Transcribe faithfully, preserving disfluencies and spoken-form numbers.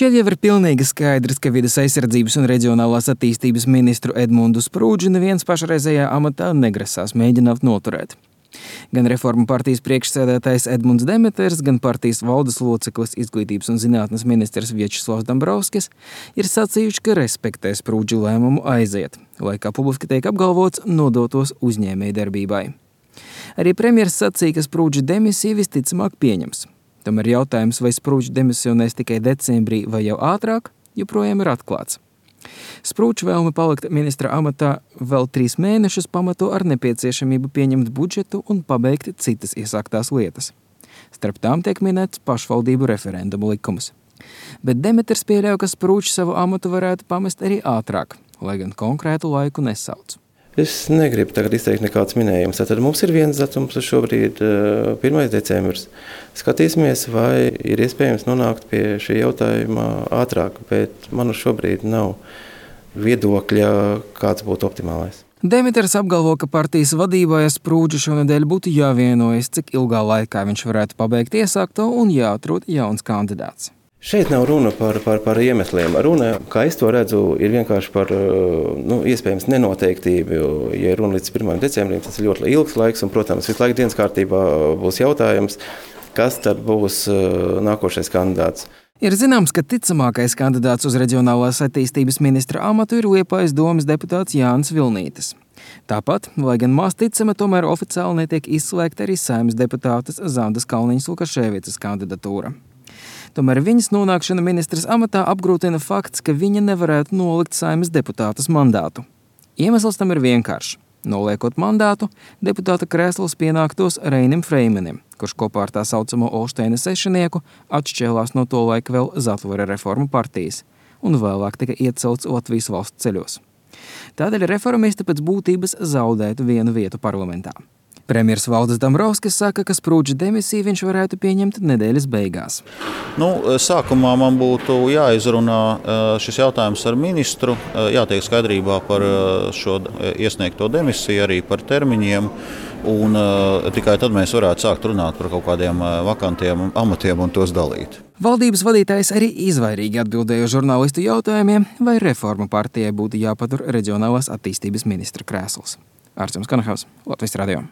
Šķiet jau ir pilnīgi skaidrs, ka vides aizsardzības un reģionālās attīstības ministru Edmundu Sprūdži neviens pašreizējā amatā negrasās mēģināt noturēt. Gan Reformu partijas priekšsēdētājs Edmunds Demeters, gan partijas valdes loceklis Izglītības un zinātnes ministrs Viečeslavs Dombrovskis ir sacījuši, ka respektē Sprūdža lēmumu aiziet, lai, kā publiski tiek apgalvots, nodotos uzņēmējdarbībai. Arī premjers sacīja, ka Sprūdža demisiju visticamāk pieņems. Tomēr jautājums, vai Sprūdžs demisionēs tikai decembrī vai jau ātrāk, joprojām ir atklāts. Sprūdža vēlme palikt ministra amatā vēl trīs mēnešus pamato ar nepieciešamību pieņemt budžetu un pabeigt citas iesāktās lietas. Starp tām tiek minēts pašvaldību referendumu likums. Bet Demeters pieļauj, ka Sprūdžs savu amatu varētu pamest arī ātrāk, lai gan konkrētu laiku nesauc. Es negribu tagad izteikt nekāds minējums. Tad mums ir viens datums šobrīd, pirmais decembris. Skatīsimies, vai ir iespējams nonākt pie šī jautājuma ātrāk, bet man šobrīd nav viedokļa, kāds būtu optimālais. Demeters apgalvo, ka partijas vadībai Sprūdža šonedēļ būtu jāvienojas, cik ilgā laikā viņš varētu pabeigt iesākto un jāatrod jauns kandidāts. Šeit nav runa par, par, par iemesliem. Runa, kā es to redzu, ir vienkārši par nu, iespējams nenoteiktību. Ja runa līdz pirmajam decembrim, tas ir ļoti ilgs laiks, un, protams, visu laiku dienas kārtībā būs jautājums, kas tad būs nākošais kandidāts. Ir zināms, ka ticamākais kandidāts uz reģionālās attīstības ministra amatu ir Liepājas domes deputāts Jānis Vilnītis. Tāpat, lai gan maz ticama, tomēr oficiāli netiek izslēgta arī Saeimas deputātes Zandas Kalniņas Lukaševicas kandidatūra. Tomēr viņas nonākšana ministras amatā apgrūtina fakts, ka viņa nevarētu nolikt Saeimas deputātas mandātu. Iemesls tam ir vienkāršs. Noliekot mandātu, deputāta krēsls pienāktos Reinim Freimanim, kurš kopā ar tā saucamo Olšteina sešinieku atšķēlās no to laika vēl Zatvara Reformu partijas un vēlāk tika iecelts Latvijas valsts ceļos. Tādēļ reformisti pēc būtības zaudētu vienu vietu parlamentā. Premjers Valdis Dombrovskis saka, ka Sprūdža demisiju viņš varētu pieņemt nedēļas beigās. Nu, sākumā man būtu jāizrunā šis jautājums ar ministru, jātiek skaidrībā par šo iesniegto demisiju, arī par termiņiem, un tikai tad mēs varētu sākt runāt par kaut kādiem vakantiem amatiem un tos dalīt. Valdības vadītājs arī izvairīgi atbildēja žurnālistu jautājumiem, vai Reformu partijai būtu jāpatur reģionālās attīstības ministra krēsls. Arčuns Kanahaus, Latvijas radio.